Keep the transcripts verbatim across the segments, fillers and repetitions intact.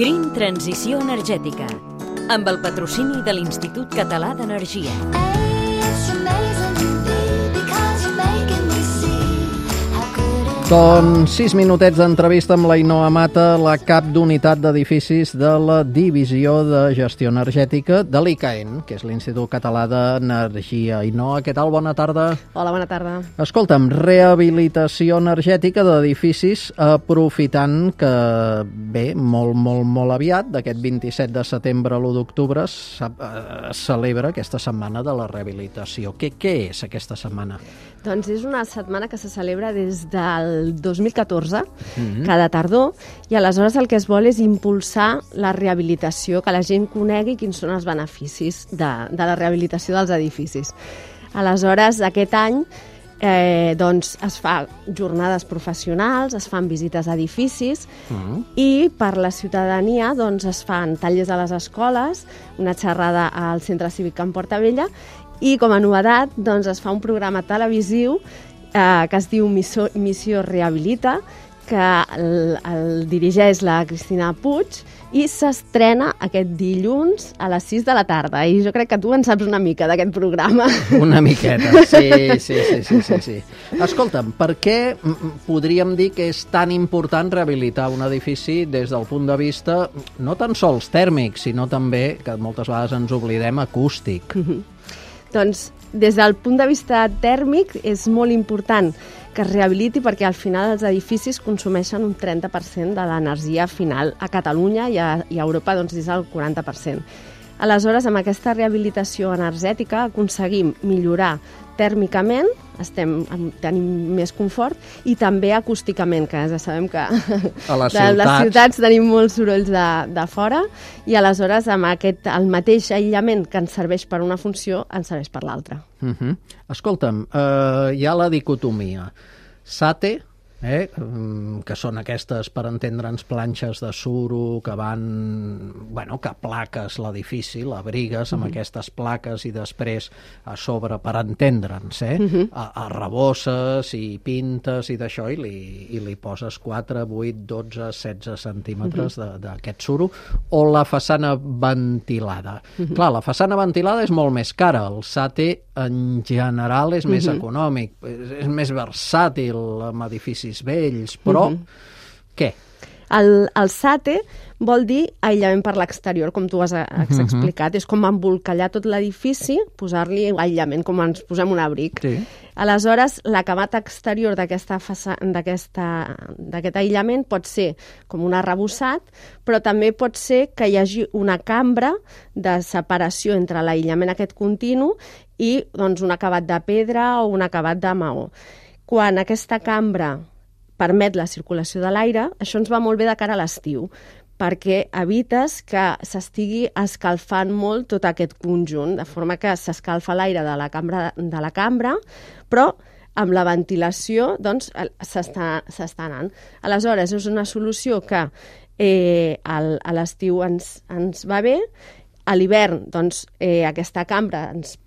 Green Transició Energètica, amb el patrocini de l'Institut Català d'Energia. Doncs sis minutets d'entrevista amb la Ainhoa Mata, la cap d'unitat d'edificis de la Divisió de Gestió Energètica de l'I C A E N, que és l'Institut Català d'Energia. Ainhoa, què tal? Bona tarda. Hola, bona tarda. Escolta'm, rehabilitació energètica d'edificis, aprofitant que, bé, molt, molt, molt aviat, d'aquest vint-i-set de setembre a l'u d'octubre, es celebra aquesta setmana de la rehabilitació. Què, què és aquesta setmana? Doncs és una setmana que se celebra des del dos mil catorze, Mm-hmm. cada tardor, i aleshores el que es vol és impulsar la rehabilitació, que la gent conegui quins són els beneficis de, de la rehabilitació dels edificis. Aleshores, aquest any eh, doncs, es fa jornades professionals, es fan visites a edificis, Mm-hmm. i per la ciutadania doncs, es fan tallers a les escoles, una xerrada al Centre Cívic Can Portabella, i com a novetat doncs, es fa un programa televisiu eh, que es diu Missió, Missió Rehabilita, que el, el dirigeix la Cristina Puig, i s'estrena aquest dilluns a les sis de la tarda. I jo crec que tu en saps una mica d'aquest programa. Una miqueta, sí, sí, sí, sí, sí, sí. Escolta'm, per què podríem dir que és tan important rehabilitar un edifici des del punt de vista no tan sols tèrmic, sinó també, que moltes vegades ens oblidem, acústic? Doncs, des del punt de vista tèrmic, és molt important que es rehabiliti perquè al final els edificis consumeixen un trenta per cent de l'energia final a Catalunya i a, i a Europa doncs, és el quaranta per cent. Aleshores, amb aquesta rehabilitació energètica aconseguim millorar tèrmicament, estem, tenim més confort, i també acústicament, que ja sabem que A les de les ciutats. ciutats tenim molts sorolls de, de fora, i aleshores amb aquest, el mateix aïllament que ens serveix per una funció, ens serveix per l'altra. Uh-huh. Escolta'm, eh, hi ha la dicotomia. SATE, eh, que són aquestes, per entendre'ns, planxes de suro que van, bueno, que plaques l'edifici, l'abrigues amb Mm-hmm. aquestes plaques i després a sobre, per entendre'ns, eh, Mm-hmm. a, arrebosses i pintes i d'això, i li, i li poses quatre, vuit, dotze, setze centímetres Mm-hmm. d'aquest suro, o la façana ventilada. Mm-hmm. Clar, la façana ventilada és molt més cara, el SATE en general és més Mm-hmm. econòmic, és, és més versàtil amb edificis vells, però què? El, el SATE vol dir aïllament per l'exterior, com tu has, has explicat. És com embolcallar tot l'edifici, posar-li aïllament, com ens posem un abric. Sí. Aleshores, l'acabat exterior d'aquesta faça- d'aquesta- d'aquest aïllament pot ser com un arrebossat, però també pot ser que hi hagi una cambra de separació entre l'aïllament aquest continu i doncs, un acabat de pedra o un acabat de maó. Quan aquesta cambra permet la circulació de l'aire, això ens va molt bé de cara a l'estiu, perquè evites que s'estigui escalfant molt tot aquest conjunt, de forma que s'escalfa l'aire de la cambra, de la cambra, però amb la ventilació doncs, s'està s'està anant. Aleshores, és una solució que eh, al, a l'estiu ens, ens va bé, a l'hivern doncs, eh, aquesta cambra ens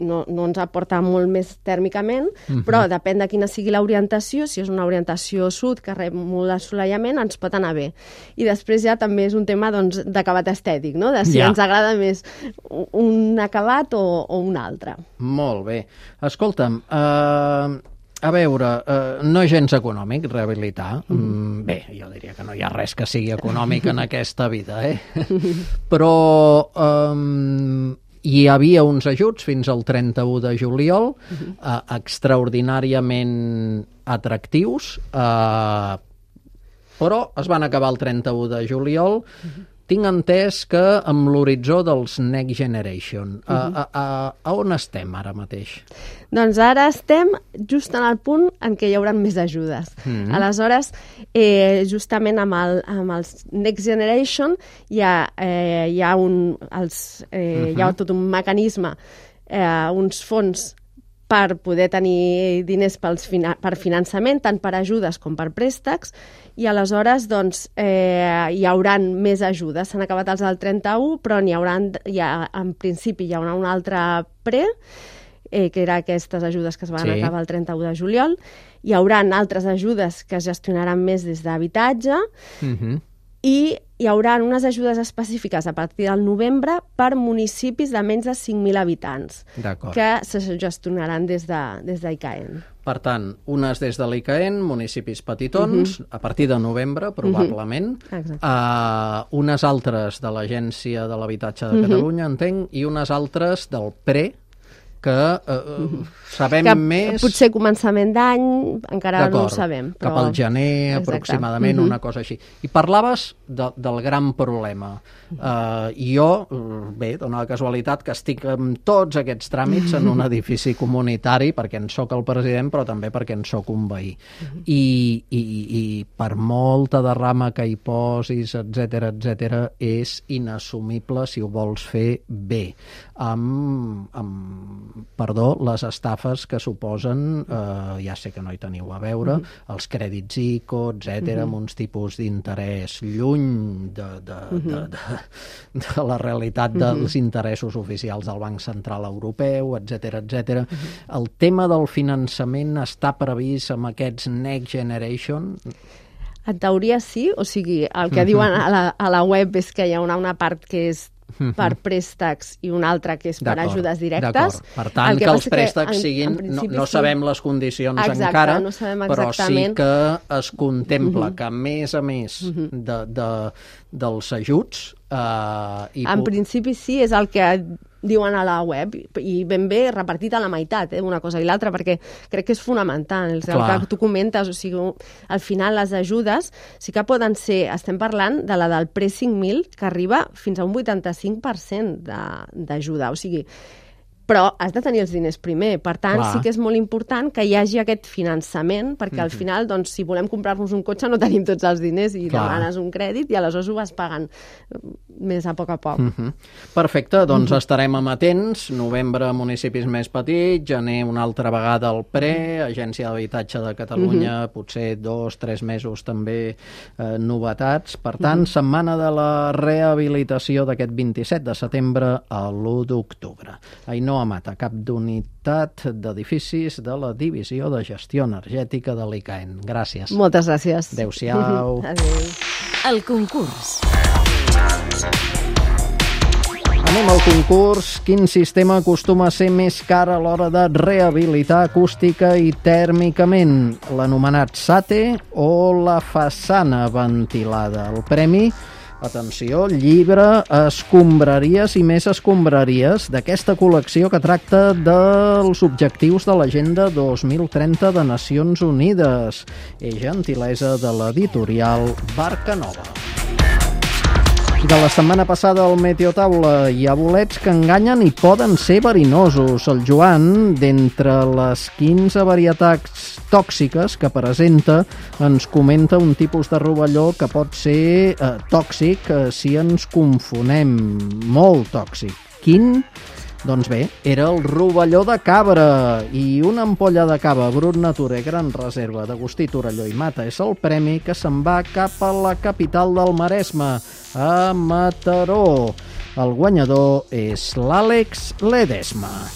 no, no ens aporta molt més tèrmicament, uh-huh. però depèn de quina sigui l'orientació. Si és una orientació sud que rep molt assolellament, ens pot anar bé. I després ja també és un tema doncs, d'acabat estètic, no? De si Ja. ens agrada més un acabat o, o un altre. Molt bé. Escolta'm, eh, a veure, eh, no és gens econòmic rehabilitar. Mm, bé, jo diria que no hi ha res que sigui econòmic en aquesta vida, eh? Però eh, hi havia uns ajuts fins al trenta-u de juliol, eh, extraordinàriament atractius, eh, però es van acabar el trenta-u de juliol. Tinc entès que amb l'horitzó dels Next Generation. A, a, a, a on estem ara mateix? Doncs ara estem just en el punt en què hi haurà més ajudes. Mm-hmm. Aleshores, eh, justament amb, el, amb els Next Generation hi ha, eh, hi ha, un, els, eh, uh-huh. hi ha tot un mecanisme, eh, uns fons per poder tenir diners pels fina- per finançament, tant per ajudes com per préstecs, i aleshores doncs, eh, hi haurà més ajudes. S'han acabat els del trenta-u, però n'hi haurà, hi ha, en principi hi haurà un altre pre, eh, que eren aquestes ajudes que es van Sí. acabar el trenta-u de juliol. Hi haurà altres ajudes que es gestionaran més des d'habitatge, Uh-huh. i hi haurà unes ajudes específiques a partir del novembre per municipis de menys de cinc mil habitants, que se gestionaran des de, des d'I C A E N. Per tant, unes des de l'I C A E N, municipis petitons, uh -huh. a partir de novembre, probablement, uh -huh. uh, unes altres de l'Agència de l'Habitatge de Catalunya, uh -huh. entenc, i unes altres del P R E, que uh, sabem que més... potser començament d'any, encara no ho sabem. Però... cap al gener, exacte. Aproximadament, uh -huh. una cosa així. I parlaves de, del gran problema. Uh, jo, bé, dona la casualitat que estic amb tots aquests tràmits en un edifici comunitari, perquè en soc el president, però també perquè en soc un veí. I, i, i per molta derrama que hi posis, etcètera, etcètera, és inassumible si ho vols fer bé. Amb, amb perdó, les estafes que suposen, eh, ja sé que no hi teniu a veure, uh -huh. els crèdits I C O, etcètera, uh -huh. amb uns tipus d'interès lluny de, de, uh -huh. de, de, de la realitat dels uh -huh. interessos oficials del Banc Central Europeu, etcètera, etcètera. Uh -huh. El tema del finançament està previst amb aquests Next Generation? En teoria sí, o sigui, el que uh -huh. diuen a la, a la web és que hi ha una, una part que és per préstecs i una altra que és per ajudes directes. Per tant, que, que els préstecs en, siguin... En no, no sabem les condicions exacte, encara, no sabem però sí que es contempla uh -huh. que, a més a més uh -huh. de, de, dels ajuts... Eh, i en principi sí, és el que diuen a la web, i ben bé repartit a la meitat, eh, una cosa i l'altra, perquè crec que és fonamental, el que tu comentes, o sigui, al final les ajudes sí que poden ser, estem parlant de la del P R E cinc mil, que arriba fins a un vuitanta-cinc per cent d'ajuda, o sigui, però has de tenir els diners primer. Per tant, clar. Sí que és molt important que hi hagi aquest finançament, perquè al final, doncs, si volem comprar-nos un cotxe no tenim tots els diners i clar. Demanes un crèdit i aleshores ho vas pagant més a poc a poc. Uh -huh. Perfecte, doncs uh -huh. estarem amatents. Novembre, municipis més petits, gener una altra vegada el P R E, Agència d'Habitatge de Catalunya, uh -huh. potser dos, tres mesos també eh, novetats. Per tant, uh -huh. setmana de la rehabilitació d'aquest vint-i-set de setembre a l'u d'octubre. Ainhoa Mata, cap d'unitat d'edificis de la Divisió de Gestió Energètica de l'I C A E N. Gràcies. Moltes gràcies. Adéu-siau. Adéu. El concurs. Anem al concurs. Quin sistema acostuma a ser més car a l'hora de rehabilitar acústica i tèrmicament? L'anomenat SATE o la façana ventilada? El premi... Atenció, llibre Escombraries i més escombraries, d'aquesta col·lecció que tracta dels objectius de l'Agenda dos mil trenta de Nacions Unides. És gentilesa de l'editorial Barca Nova. De la setmana passada al Meteotaula hi ha bolets que enganyen i poden ser verinosos. El Joan, d'entre les quinze varietats tòxiques que presenta, ens comenta un tipus de rovelló que pot ser eh, tòxic eh, si ens confonem. Molt tòxic. Quin? Doncs bé, era el rovelló de cabra, i una ampolla de cava Brut Nature Gran Reserva d'Agustí Torelló i Mata és el premi que se'n va cap a la capital del Maresme, a Mataró. El guanyador és l'Àlex Ledesma.